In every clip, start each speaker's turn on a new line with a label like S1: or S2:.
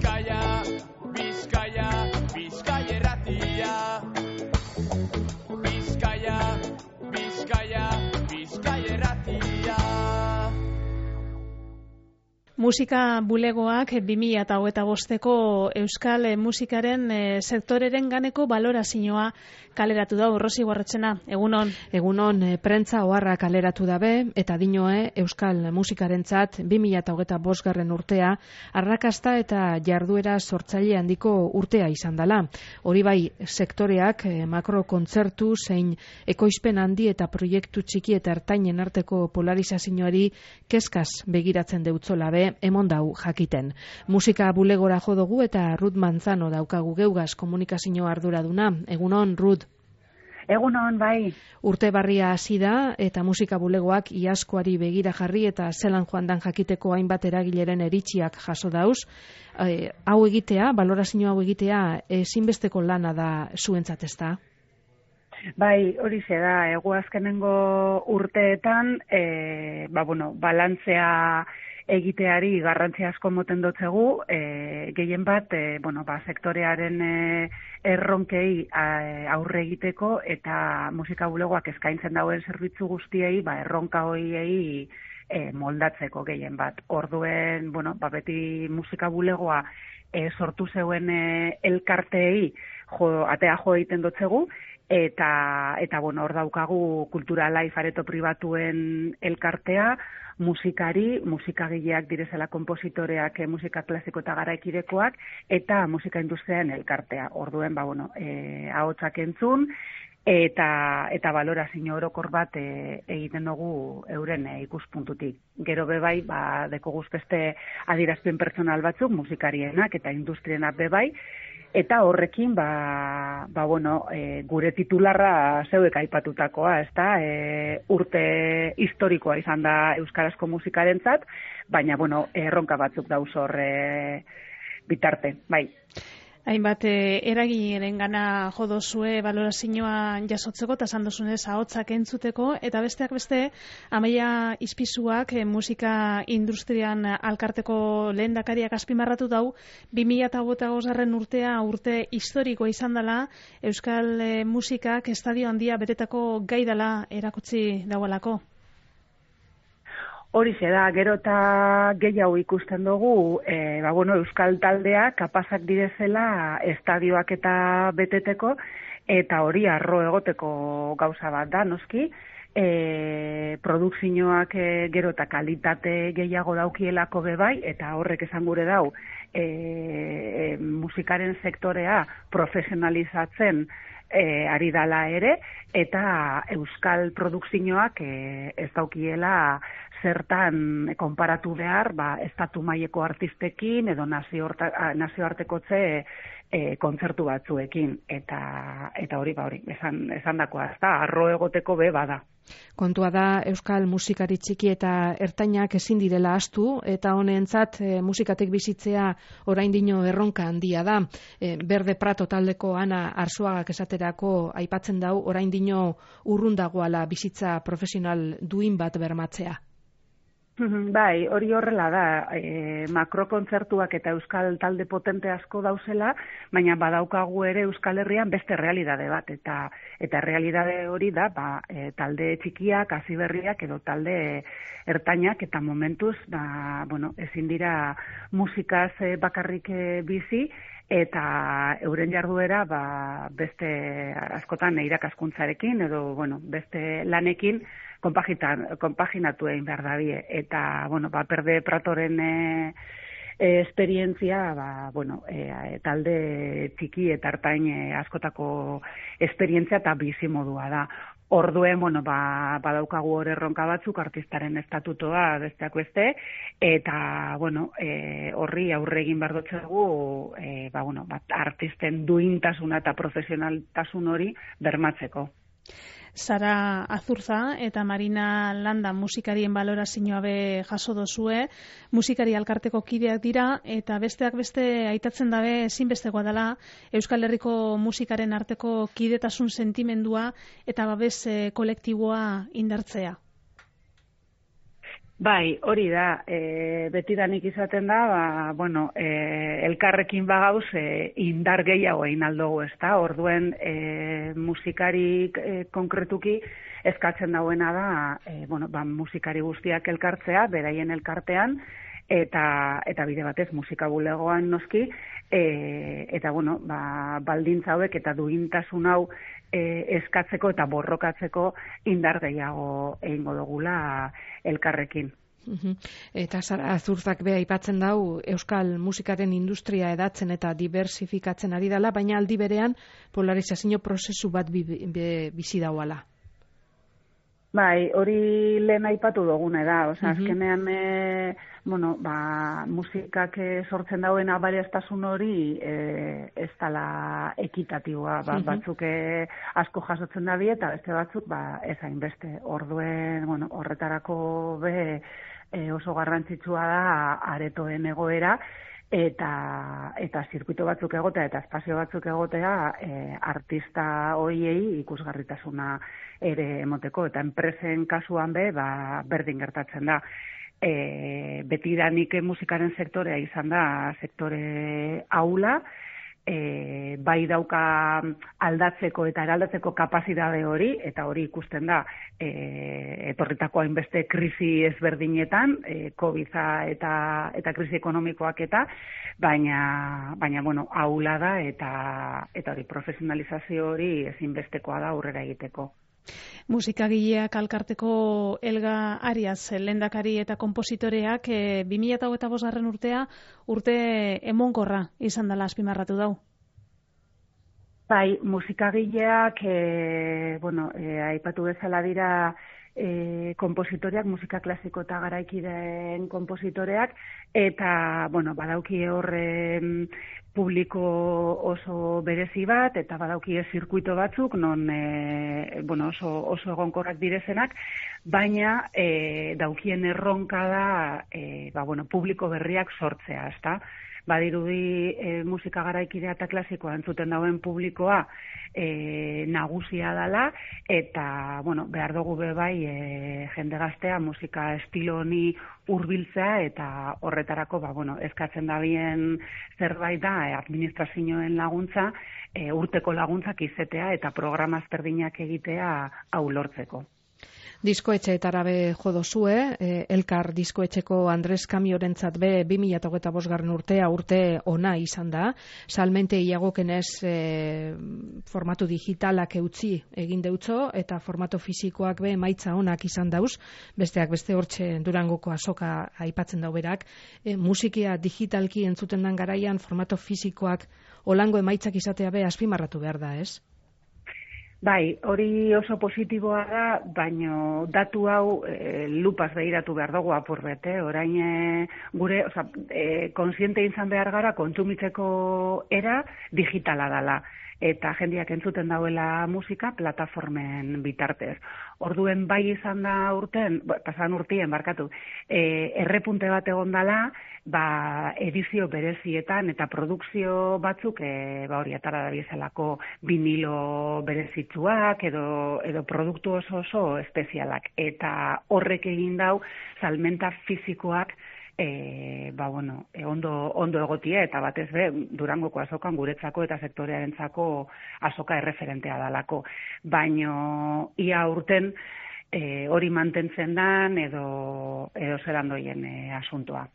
S1: Bizkaia, Bizkaia, Bizkaia irratia. Bizkaia, Bizkaia, Bizkaia irratia.
S2: Musika bulegoak 2025ko euskal musikaren sektoreren ganeko balorazioa kaleratu da. Rosi Guarretxena, egunon.
S3: Egunon, prentza oharra kaleratu dabe eta dinoe euskal musikarentzat 2025 urtea arrakasta eta jarduera sortzaile handiko urtea izan dela. Hori bai, sektoreak makrokontzertu zein ekoizpen handi eta proiektu txiki eta ertainen arteko polarizazioari kezkaz begiratzen deutzola be emon dau jakiten. Musika bulegora jo dugu eta Ruth Manzano daukagu geugaz komunikazio arduraduna. Egunon, Ruth.
S4: Egunon, bai.
S3: Urte barria hasi da eta musika bulegoak iazkoari begira jarri eta zelan joan dan jakiteko hainbat eragileren eritziak jaso dauz. Hau egitea, balorazio hau egitea, ezinbesteko lana da zuentzat, ezta?
S4: Bai, hori da, azkenengo urteetan, balantzea egiteari garrantzi asko moten dotzegu, gehien bat, sektorearen erronkei aurre egiteko eta musika bulegoak eskaintzen dauen zerbitzu guztiei, erronka hoiei moldatzeko gehien bat. Orduen, beti musika bulegoa sortu zeuen elkarteei atea jo egiten dotzegu, eta hor daukagu Kultura Life areto pribatuen elkartea, musikagileak direzela konpositoreak, musika klasiko eta garaikidekoak, eta musika industriaren elkartea. Orduen, ahotsak entzun, eta balorazio orokor bat egiten dugu euren ikuspuntutik. Gero bebai, dekogu beste adierazpen pertsonal batzuk, musikarienak eta industrienak bebai, eta horrekin, gure titularra zeuek aipatutakoa, ezta? Urte historikoa izan da euskarazko musikarentzat, baina, erronka batzuk dauz hor bitarte, bai.
S2: Hainbat eragileren gana jodozue balorazioa jasotzeko eta esan duzunez ahotsak entzuteko, eta besteak beste Amaia Izpizuak musika industrian alkarteko lehendakariak azpimarratu dau 2025 urtea urte historikoa izan dela, euskal musikak estadio handia betetako gai dela erakutsi daualako.
S4: Hori da, gero eta gehiago ikusten dugu, euskal taldeak kapazak direzela estadioak eta beteteko, eta hori arro egoteko gauza bat da, noski, produkzioak gero eta kalitate gehiago daukielako bebai, eta horrek esan gure dau, musikaren sektorea profesionalizatzen ari dala ere, eta euskal produkzioak ez daukiela zertan konparatu behar, estatu maileko artistekin edo nazioartekotze kontzertu batzuekin, eta hori esan dakoa, ez da, arro egoteko be bada.
S3: Kontua da, euskal musikari txiki eta ertainak ezin direla ahaztu, eta honentzat musikatek bizitzea oraindino erronka handia da. Berde Prato taldeko Ana Arzuagak esaterako aipatzen dau, oraindino urrun dagoala bizitza profesional duin bat bermatzea.
S4: Bai, hori horrela da, makrokontzertuak eta euskal talde potente asko dauzela, baina badaukagu ere Euskal Herrian beste realidade bat, eta realidade hori da, talde txikiak, hasiberriak edo talde ertainak, eta momentuz, ezin dira musikaz bakarrik bizi, eta euren jarduera beste askotan irakaskuntzarekin edo beste lanekin konpaginatu egin behar dabie. Eta Berde Pratoren esperientzia talde txiki eta ertain askotako esperientzia eta bizimodua da. Orduen, badaukagu hor erronka batzuk, artistaren estatutoa besteak beste, eta, horri aurre egin behar dutxegu, artisten duintasuna eta profesionaltasun hori bermatzeko.
S2: Sara Azurza eta Marina Landa musikarien balorazioa be jaso dozue, musikari alkarteko kideak dira, eta besteak beste aitatzen dabe ezinbestekoa dela Euskal Herriko musikaren arteko kidetasun sentimendua eta babes kolektiboa indartzea.
S4: Bai, hori da, betidanik izaten da, elkarrekin bagauz indar gehiago egin aldugu, ezta? Orduen musikarik konkretuki eskatzen dauena da, musikari guztiak elkartzea, beraien elkartean, eta bide batez musika bulegoan noski, eta baldintza hauek eta duintasun hau eskatzeko eta borrokatzeko indar gehiago egingo dugula elkarrekin.
S3: Eta Sara Azurzak be aipatzen dau euskal musikaren industria edatzen eta diversifikatzen ari dela, baina aldi berean polarizazio prozesu bat bizi dauala.
S4: Bai, hori lehen aipatu dugune da, azkenean musikak sortzen dauen abariaztasun hori ez dela ekitatiboa, batzuk asko jasotzen da eta beste batzuk ez hainbeste. Orduen, horretarako oso garrantzitsua da aretoen egoera, eta zirkuito batzuk egotea eta espazio batzuk egotea artista hoiei ikusgarritasuna ere emoteko, eta enpresen kasuan berdin gertatzen da. Betidanik musikaren sektorea izan da sektore ahula, bai dauka aldatzeko eta eraldatzeko kapazitate hori, eta hori ikusten da etorritako hainbeste krisi ezberdinetan, COVID-a eta krisi ekonomikoak baina ahula da eta hori profesionalizazio hori ezinbestekoa da aurrera egiteko.
S2: Musikagileak alkarteko Elga Arias, lehendakari eta konpositoreak 2025. Urtea urte emonkorra izan dela azpimarratu dau.
S4: Bai, musikagileak aipatu bezala dira konpositoreak, musika klasiko eta garaikideen konpositoreak, eta badauki horren publiko oso berezi bat, eta badauki zirkuito batzuk, non oso egonkorrak direzenak, baina daukien erronka da publiko berriak sortzea, ezta? Badirudi musika garaikidea eta klasikoa entzuten dauen publikoa nagusia dela, eta behar dugu bai jende gaztea musika estilo honi hurbiltzea, eta horretarako eskatzen da bien zerbait da administrazioen laguntza, urteko laguntzak izetea eta programa ezberdinak egitea hau lortzeko.
S3: Diskoetxeetara be jodozue, Elkar diskoetxeko Andres Kamiorentzat be 2025. Urtea urte ona izan da, salmente iagokenez formatu digitalak eutzi egin deutzo, eta formatu fisikoak be emaitza onak izan dauz, besteak beste hortxe Durangoko azoka aipatzen dauberak, musikia digitalki entzuten dan garaian formatu fisikoak olango emaitzak izatea be azpimarratu behar da, ez?
S4: Bai, hori oso positiboa da, baina datu hau lupaz behiratu behar dugu apurbet, orain gure, konsiente izan behar gara kontsumitzeko era digitala dela, eta jendeak entzuten dauela musika plataformen bitartez. Orduen bai izan da pasan urtien, errepunte bat egon dela, edizio berezietan eta produkzio batzuk hori atara da bizalako vinilo berezitzuak edo produktu oso espezialak, eta horrek egin dau salmenta fisikoak ondo egotia, eta batez be Durangoko azokan guretzako eta sektorearentzako azoka erreferentea dalako. Baino ia urten hori mantentzen dan edo zelan doien asuntoa.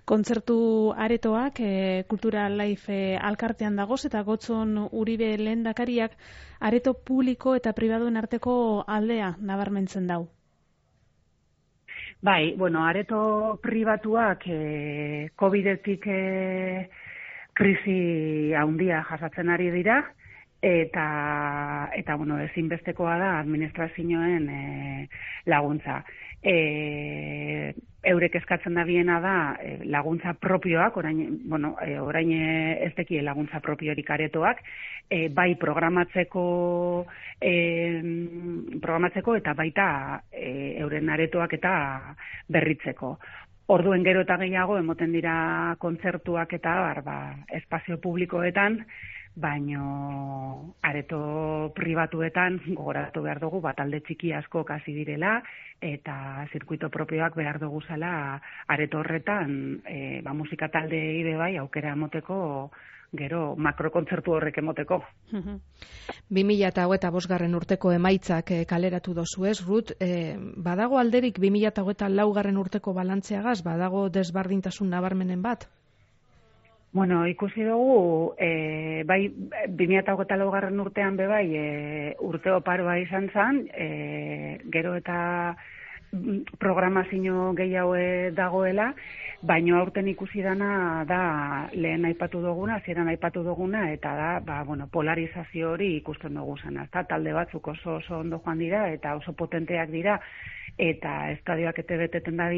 S2: Kontzertu aretoak Kultural Life alkartean dagoz, eta Gotzon Uribe lehendakariak areto publiko eta pribaduen arteko aldea nabarmentzen dau.
S4: Bai, areto pribatuak COVID-etik krisi handia jasatzen ari dira, eta ezinbestekoa da administrazioen laguntza. Eurek eskatzen da biena da laguntza propioak, orain ez deki laguntza propiorik aretoak, bai programatzeko eta baita euren aretoak eta berritzeko. Orduen gero eta gehiago emoten dira kontzertuak eta espazio publikoetan, baino areto pribatuetan gogoratu behar dugu talde txiki asko hasi direla eta zirkuito propioak behar dugu zela areto horretan musika taldeei be bai aukera emoteko gero makrokontzertu horrek emoteko.
S3: 2025 urteko emaitzak kaleratu dozu ez, Ruth, badago alderik 2024 urteko balantzeagaz, badago desbardintasun nabarmenen bat?
S4: Bueno, ikusi dugu, bai 2024 urtean be bai urte oparoa izan zen, gero eta programazio gehiago dagoela, baino aurten ikusi dana da lehen aipatu duguna, hasieran aipatu duguna, eta da, polarizazio hori ikusten dugu zena. Talde batzuk oso ondo joan dira, eta oso potenteak dira, eta estadioak ete beteten da